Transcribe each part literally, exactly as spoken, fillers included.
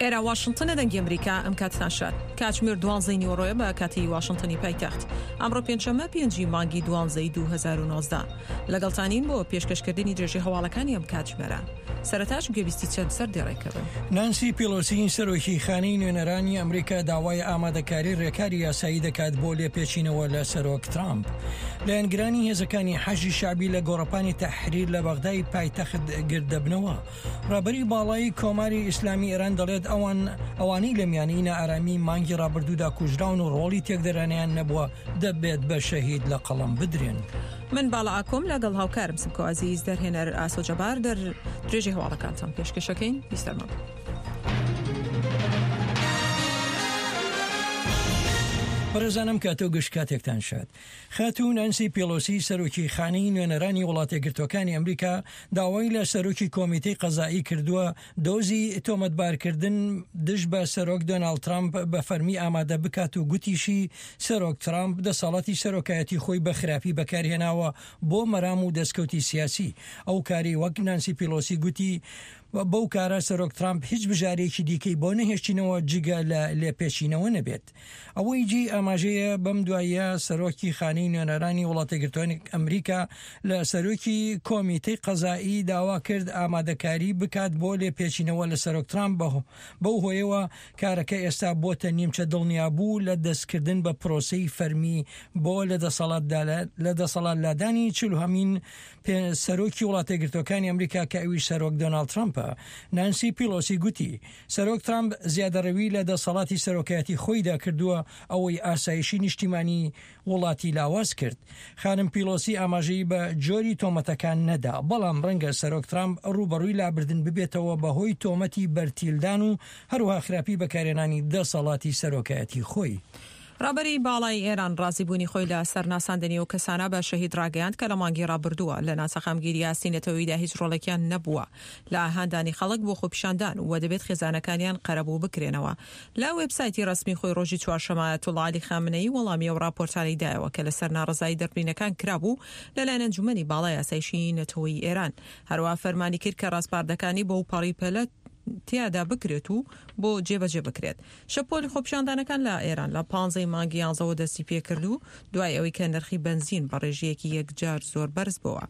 ئێرە واشنتنە، دەنگی ئەمریکا. ئەم کاتتان شاد. کاتژمێر دوانزەی نیوەڕۆیە بە کاتی واشنتنی پایتەخت. ئەمڕۆ پێنجشەممە پێنجی مانگی دوانزەی دوو هەزار و نۆزدە. لەگەڵتانین بۆ پێشکەشکردنی درێژەی هەواڵەکانی ئەم کاتژمێرە. سەرەتاش گوێبیستی چەند سەردێڕێکە بن. نانسی پیڵۆسی سەرۆکی خانەی نوێنەرانی ئەمریکا داوای ئامادەکاری ڕێکاری یاسایی دەکات بۆ لێپێچینەوە لە سەرۆک ترامپ. لایەنگرانی هێزەکانی حەشدی شەعبی لە گۆڕەپانی تەحریر لە بەغدای پایتەخت گرددەبنەوە. ڕابەری باڵای کۆماری ئیسلامی ئێران دەڵێت ئەوان ئەوانەی لە میانی نائارامی مانگی ڕابردوودا کوژراون و ڕۆڵی تێکدەرانیان نەبووە دەبێت بە شەهید لە قەڵەم بدرێن. من باڵا ئاکۆم لەگەڵ هاوکارم سمکۆ عەزیز، دەرهێنەر ئاسۆ جەبار، دەر درێژی هەواڵەکانتان پێشکەشەکەین. بیستەرمان. بەڕێزانم کاتۆ گشت کاتێکتان شاد. خاتوو نانسی پیڵۆسی سەرۆکی خانەی نوێنەرانی وڵاتێکگرتوەکانی ئەمریکا داوای لە سەرۆکی کۆمیتەی قەزایی کردووە دۆزی تۆمەتبارکردن دژ بە سەرۆک دۆناڵد ترامپ بە فەرمی ئامادە بکات و گوتیشی سەرۆک ترامپ دەسەڵاتی سەرۆکایەتی خۆی بە خراپی بەکارهێناوە بۆ مەرام و دەستکەوتی سیاسی. ئەو کاری وەک نانسی پیڵۆسی گوتی بەو کارە سەرۆک ترامپ هیچ بژارێکی دیکەی بۆ نەهێشتینەوە جگە لە لێپێچینەوە نەبێت. ئەوەی جێی ئاماژەیە بەم دواییە سەرۆکی خانەی نوێنەرانی وڵاتێکگرتوانی ئەمریکا لە سەرۆکی کۆمیتەی قەزایی داوا کرد ئامادەکاری بکات بۆ لێپێچینەوە لە سەرۆک ترامپ. بەو هۆیەوە کارەکە ئێستا بۆتە نیمچە دڵنیابوو لە دەستکردن بە پرۆسەی فەرمی بۆ لە دەسەڵات لادانی چلوهەمین سەرۆکی وڵاتێکگرتوەکانی ئەمریکا کە ئەویش سەرۆک دۆناڵد ترامپە. نانسی پیڵۆسی گوتی سەرۆک ترامپ زیادەڕەوی لە دەسەڵاتی سەرۆکایەتی خۆیدا کردووە، ئەوەی ئاسایشی نیشتیمانی وڵاتی لاواز کرد. خانم پیڵۆسی ئاماژەی بە جۆری تۆمەتەکان نەدا، بەڵام ڕەنگە سەرۆک ترامپ ڕووبەڕووی لابردن ببێتەوە بەهۆی تۆمەتی بەرتیلدان و هەروەها خراپی بەکارهێنانی دەسەڵاتی سەرۆکایەتی خۆی. ڕابەری باڵای ئێران ڕازیبوونی خۆی لە سەرناساندنی و کەسانە بە شەهید ڕاگەیاند کە لە مانگی ڕابردووە لە ناسەقامگیری ئاستی نەتەوەییدا هیچ ڕۆڵێکیان نەبووە لە هاندانی خەڵک بۆ خۆپیشاندان و دەبێت خێزانەکانیان قەرەبوو بکرێنەوە. لە وێبسایتی ڕەسمی خۆی ڕۆژی چوارشەممە ئایەتوڵڵا عەلی خامنەیی وەڵامی ئەو ڕاپۆرتانەی دایەوە کە لەسەر ناڕەزایی دەربڕینەکان کرابوو لەلایەن ئەنجومەنی باڵای ئاسایشی نەتەوەیی ئێران. هەروەها فەرمانی کرد کە ڕاسپاردەکانی بەو پەڕی پەلە تیادا بکرێت و بۆ جێبەجێ بکرێت. شەپۆلی خۆپیشاندانەکان لە ئێران لە پانزەی مانگی یانزەوە دەستی پێکرد و دوای ئەوەی کە نرخی بەنزین بە ڕێژەیەکی یەکجار زۆر بەرز بووە.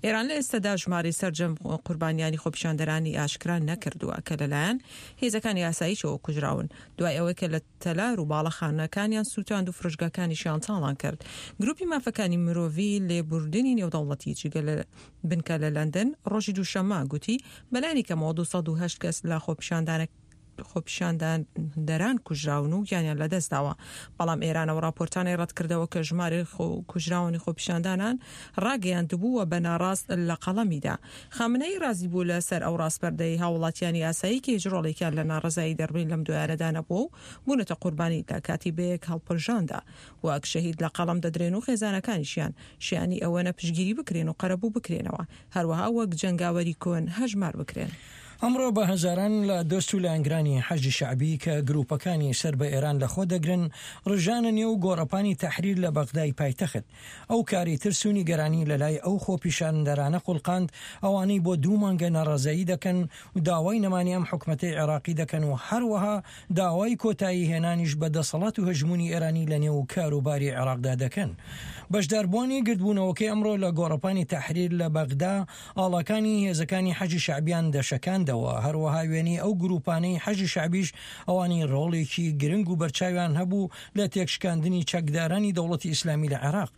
ئێران لە ئێستادا ژمارەی سەرجەم قوربانیانی خۆپیشاندەرانی ئاشکرا نەکردووە کە لەلایەن هێزەکانی ئاسایشەوە کوژراون دوای ئەوەی کە لە تەلار و باڵەخانەکانیان سووتاند و فرۆشگاکانیشیان تاڵان کرد. گروپی مافەکانی مرۆڤی لێبوردنی نێودەوڵەتی جگە لە بنکە لە لەندەن ڕۆژی دووشەممە گوتی بەلایەنی کەمەوە دوو سەد و هەشت کەس لە خۆپیشاندانە خۆپیشاندەران کوژراون و گیانیان لەدەستداوە. بەڵام ئێرانەوە راپۆرتانەی ڕەتکردەوە کە ژمارەی کوژراونی خۆپیشاندانان ڕاگەیاندبوو و بە ناڕاست لە قەڵەمیدا. خامنەیی ڕازی بوو لەسەر ئەو ڕاسپەردەی هاوڵاتیانی ئاسایی کە هیچ ڕۆڵێکیان لە ناڕەزایی دەربڕین لەم دوایانەدا نەبووە و بوونەتە قوربانی لە کاتی بەیەک هەڵپرژاندا وەک شەهید لە قەڵەم دەدرێن و خێزانەکانیشیان شیانی ئەوەنە پشتگیری بکرێن و قەرەبوو بکرێنەوە، هەروەها وەک جەنگاوەری کۆن هەژمار بکرێن. ئەمڕۆ بە هەزاران لە دۆست و لایەنگرانی حەشدی شەعبی کە گروپەکانی سەر بە ئێران لەخۆ دەگرن ڕژانە نێو گۆڕەپانی تەحریر لە بەغدای پایتەخت. ئەو کاری ترس و نیگەرانی لەلای ئەو خۆپیشاندەرانە خوڵقاند ئەوانەی بۆ دوو مانگە ناڕەزایی دەکەن و داوای نەمانی ئەم حکومەتەی عێراقی دەکەن و هەروەها داوای کۆتایی هێنانیش بە دەسەڵات و هەژمونی ئێرانی لە نێو کاروباری عێراقدا دەکەن. بەشداربووانی گردبوونەوەکەی ئەمڕۆ لە گۆڕەپانی تەحریر لە بەغدا ئاڵاکانی هێزەکانی حەشدی شەعبیان دەشەکاندەوە. هەروەها وێنەی ئەو گروپانەی حەشدی شەعبیش ئەوانی ڕۆڵێکی گرنگ و بەرچاویان هەبوو لە تێکشکاندنی چەکدارانی دەوڵەتی ئیسلامی لە عێراق.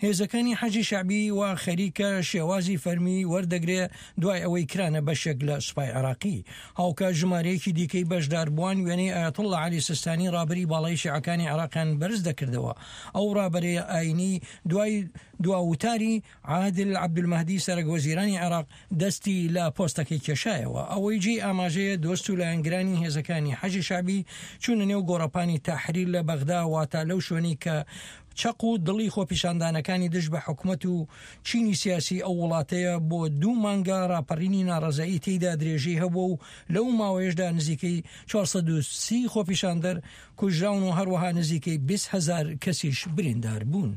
هێزەکانی حەشدی شەعبی وا خەریکە شێوازی فەرمی وەردەگرێ دوای ئەوەی کرانە بەشێک لە سوپای عێراقی. هاوکات ژمارەیەکی دیکەی بەشداربووان وێنەی ئایەتوڵڵا عەلی سیستانی ڕابەری باڵای شیعەکانی عێراقیان بەرز دەکردەوە. ئەو ڕابەرەی ئاینی دوای دواوتاری عادل عەبدولمەهدی سەرەک وەزیرانی عێراق دەستی لە پۆستەکەی کێشایەوە. ئەوەی جێی ئاماژەیە دۆست و لایەنگرانی هێزەکانی حەشدی شەعبی چوونە نێو گۆڕەپانی تەحریر لە بەغدا، واتە لەو شوێنەی کە چەق و دڵی خۆپیشاندانەکانی دژ بە حکومەت و چینی سیاسی ئەو وڵاتەیە بۆ دوو مانگە ڕاپەڕینی ناڕەزایی تێیدا درێژەی هەبووە و لەو ماوەیەشدا نزیکەی چوار سەد و سی خۆپیشاندەر کوژراون و هەروەها نزیکەی بیست هەزار کەسیش بریندار بوون.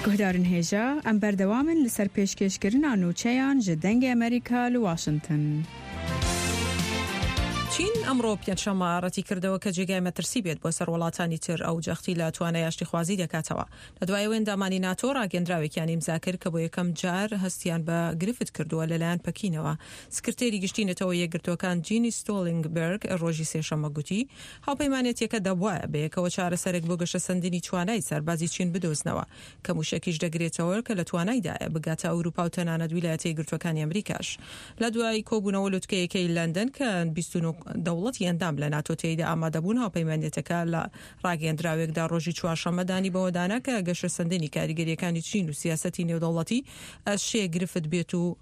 گوهدارن هێژا ئەم بەردەوامن لەسەر پێشکێشکردنا نوچەیان ji دەنگی ئەمریکا لە واشنگتن. چین ئەمڕۆ پێنجشەممە ڕەتی کردەوە کە جێگای مەترسی بێت بۆ سەر وڵاتانی تر، ئەو جەختی لە توانای ئاشتیخوازی دەکاتەوە. لە دوای ئەوەی ئەندامانی ناتۆ ڕاگەندراوێکیان ئیمزا کرد کە بۆ یەکەم جار هەستیان بە گرفت کردووە لەلایەن پەکینەوە. سکرتێری گشتی نەتەوە یەکگرتووەکان جینی ستۆڵینگبێرگ ڕۆژی سێشەممە گوتی هاوپەیمانێتیەکە دەبوایە بەیەکەوە چارەسەرێک بۆ گەشەسەندنی توانای سەربازی چین بدۆزنەوە کە موشەکیش دەگرێتەوە کە لە توانایدایە بگاتە ئەوروپا و تەنانەت ویلایەتە یەکگرتووەکانی ئەمریکاش. لە دوای کۆبوونەوە لوتکەیەکەی لەندەن کە بیست و نۆ دەوڵەتی ئەندام لە ناتۆ تێیدا ئامادەبوون، هاوپەیمانێتەکە لە ڕاگەیەندراوێکدا ڕۆژی چوارشەممە دانی بەوەدانا کە گەشەسەندنی کاریگەریەکانی چین و سیاسەتی نێودەوڵەتی ئەشێ گرفت بێت و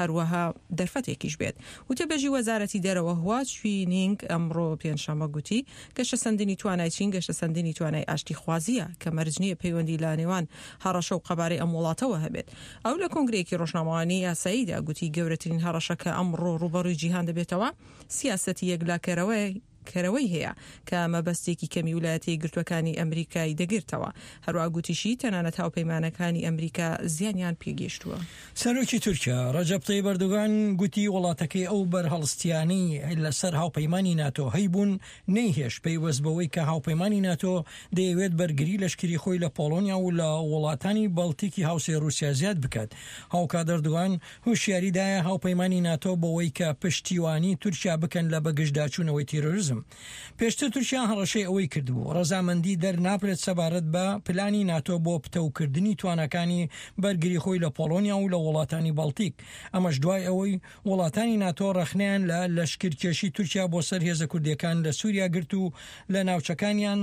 هەروەها دەرفەتێکیش بێت. وتەبێژی وەزارەتی دەرەوە هوا چوینینگ ئەمڕۆ پێنجشەممە گوتی گەشەسەندنی توانای چین گەشەسەندنی توانای ئاشتیخوازیە کە مەرج نییە پەیوەندی لە نێوان هەڕەشە و قەبارەی ئەم وڵاتەوە هەبێت. ئەو لە کۆنگرەیەکی ڕۆژنامەوانی یاساییدا گوتی گەورەترین هەڕەشە کە ئەمڕۆ ڕووبەڕووی جیهان دەبێتەوە سیاسەتی یەکلاکەرەوەی کەرەوەی هەیە کە مەبەستێکی کەمی ویلایەتە یەکگرتووەکانی ئەمریکای دەگرتەوە. هەروەها گوتیشی تەنانەت هاوپەیمانەکانی ئەمریکا زیانیان پێگەیشتووە. سەرۆکی تورکیا ڕەجەب تەیب ئەردۆغان گوتی وڵاتەکەی ئەو بەرهەڵستیانەی لەسەر هاوپەیمانی ناتۆ هەیبوون نەیهێشت پەیوەست بەوەی کە هاوپەیمانی ناتۆ دەیەوێت بەرگری لەشکری خۆی لە پۆڵۆنیا و لە وڵاتانی بەڵتیکی هاوسێ رووسیا زیاد بکات. هاوکات ئەردۆغان هۆشیاریدایە هاوپەیمانی ناتۆ بەوەی کە پشتیوانی تورکیا بکەن لە بەگژداچوونەوەی تیرۆریزم. پێشتر تورکیا هەڕەشەی ئەوەی کردبوو ڕەزامەندی دەرنابرێت سەبارەت بە پلانی ناتۆ بۆ پتەوکردنی تواناکانی بەرگری خۆی لە پۆڵۆنیا و لە وڵاتانی بەڵتیک. ئەمەش دوای ئەوەی وڵاتانی ناتۆ ڕەخنەیان لە لەشکرکێشی تورکیا بۆ سەر هێزە کوردیەکان لە سووریا گرت و لە ناوچەکانیان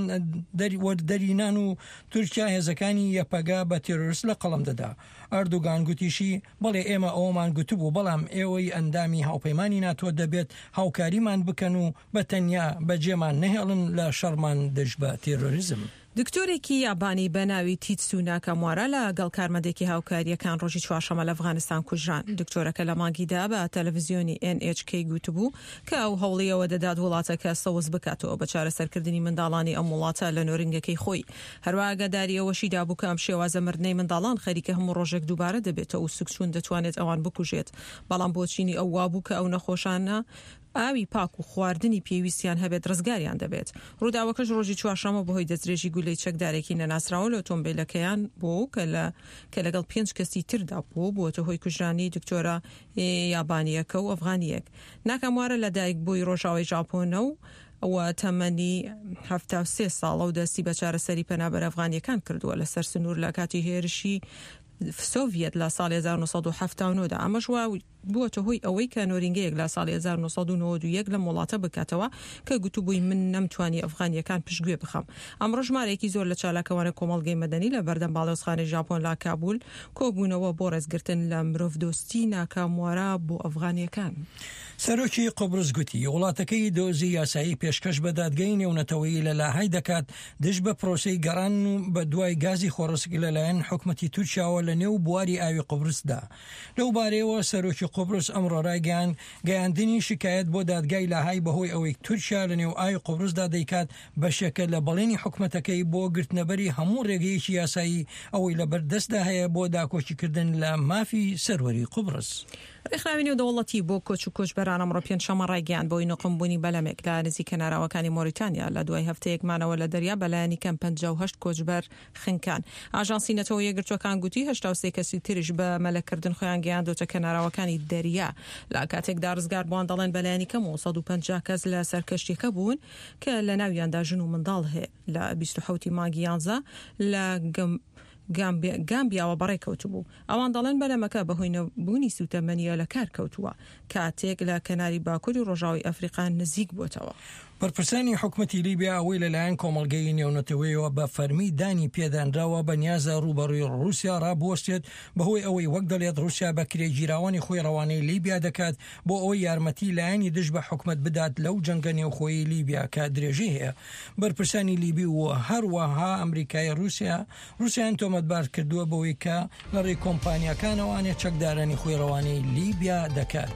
دەرینان و تورکیا هێزەکانی یەپەگە بە تێرۆریست لە قەڵەم دەدا. ئەردۆغان گوتیشی بەڵێ ئێمە ئەومان گوتبوو، بەڵام ئێوەی ئەندامی هاوپەیمانی ناتۆ دەبێت هاوکاریمان بکەن و بە تەنیا بەجێمان نەهێڵن لە شەڕمان دژ بە تێرۆریزم. دکتۆرێکی یابانی بە ناوی تیتسو ناکاموارا لەگەڵ کارمەندێکی هاوکاریەکان ڕۆژی چوارشەممە لە ئەفغانستان کوژران. دکتۆرەکە لە مانگیدا بە تەلەڤیزیۆنی ئێن ئێچ کەی گوتبوو کە ئەو هەوڵیەوە دەدات وڵاتەکە سەوز بکاتەوە بە چارەسەرکردنی منداڵانی ئەم وڵاتە لە نۆرینگەکەی خۆی. هەروەها ئاگاداری ئەوەشی دابوو کە ئەم شێوازە مردنەی منداڵان خەریکە هەموو ڕۆژێک دووبارە دەبێتەوە و سوکچوون دەتوانێت ئەوان بکوژێت. بەڵام بۆچینی ئەو وابوو کە ئەو نەخۆشانە ئاوی پاک و خواردنی پێویستیان هەبێت ڕزگاریان دەبێت. ڕووداوەکەش ڕۆژی چوارشەممە بەهۆی دەستدرێژی گولەی چەکدارێکی نەناسراوە لە ئۆتۆمبیلەکەیان بوو کە لە کە لەگەڵ پێنج کەسی تردا بوو، بووەتە هۆی کوژرانی دکتۆرە یابانیەکە و ئەفغانیەک. ناکاموارە لە دایک بووی ڕۆژاوای ژاپۆنە و و تەمەنی حەفتا و سێ ساڵە و دەستی بە چارەسەری پەنابەر ئەفغانیەکان کردووە لەسەر سنوور لە کاتی هێرشی سۆڤیەت لە ساڵی هەزار و نۆ سەد و حەفتا و نۆ دا. ئەمەش وا بووەتە هۆی ئەوەی کە نۆرینگەیەک لە ساڵی هەزار و نۆ سەد و نەوەد و یەک لەم وڵاتە بکاتەوە کە گوتبووی من نەمتوانی ئەفغانیەکان پشتگوێ بخەم. ئەمڕۆ ژمارەیەکی زۆر لە چالاکەوانە کۆمەڵگەی مەدەنی لە بەردەم باڵیۆزخانەی ژاپۆن لە کابول کۆبوونەوە بۆ ڕێزگرتن لە مرۆڤدۆستی ناکاموارا بۆ ئەفغانیەکان. سەرۆکی قوبرس گوتی وڵاتەکەی دۆزی یاسایی پێشکەش بە دادگەی نێونەتەوەیی لە لاهای دەکات دژ بە پرۆسەی گەڕان و بە دوای گازی خۆڕسک لەلایەن حکومەتی تورکیاوە لە نێو بواری ئاوی قوبرسدا. لەو بارەیەوە سەرۆکی قوبرس ئەمڕۆ ڕایگەیاند گەیاندنی شکایەت بۆ دادگای لاهای بەهۆی ئەوەی تورکیا لە نێو ئاوی قوبرسدا دەیکات بەشێکە لە بەڵێنی حکومەتەکەی بۆ گرتنەبەری هەموو ڕێگەیەکی یاسایی ئەوەی لەبەردەستدا هەیە بۆ داکۆکیکردن لە مافی سەروەری قوبرس. ڕێکخراوی نێودەوڵەتی بۆ کۆچ و کۆچبەران ئەمڕۆ پێنجشەممە ڕایگەیاند بۆی نوقمبوونی بەلەمێک لە نزیک کەناراوەکانی مۆریتانیا لە دوای هەفتەیەک مانەوە لە دەریا بەلایەنی کەم پەنجا و هەشت کۆچبەر خنکان. ئاژانسی نەتەوە یەکگرتووەکان گوتی هەشتا و سێ کەسی تریش بە مەلەکردن خۆیان گەیاندۆتە کەناراوەکانی دەریا. لە کاتێکدا ڕزگاربووان دەڵێن بەلایەنی کەم و سەد و پەنجا کەس لە سەرکەشتیەکە بوون کە لە ناویاندا ژن و منداڵ هەیە. لە بیست و حەوتی مانگی یانزە لە گامبیاوە بەڕێکەوتبوو. ئەوان دەڵێن بەلەمەکە بەهۆی نەبوونی سوتەمەنیە لە کار کەوتووە کاتێک لە کەناری باکووری ڕۆژاوای ئەفریقا نزیک بووەتەوە. بەرپرسانی حکومەتی لیبیا ئەوەی لەلایەن کۆمەڵگەی نێونەتەوەیەوە بە فەرمی دانی پێدانراوە بە نیازە ڕووبەڕووی ڕووسیا ڕابوەستێت بەهۆی ئەوەی وەک دەڵێت ڕووسیا بە کرێگیراوانی خۆی ڕەوانەی لیبیا دەکات بۆ ئەوەی یارمەتی لایەنی دژ بە حکومەت بدات لەو جەنگە نێوخۆیی لیبیا کە درێژەی هەیە. بەرپرسانی لیبی و هەروەها ئەمریکای رووسیا رووسیان تۆمەتبار کردووە بەوەی کە لە ڕێی کۆمپانیاکانەوانێ چەکدارانی خۆی ڕەوانەی لیبیا دەکات.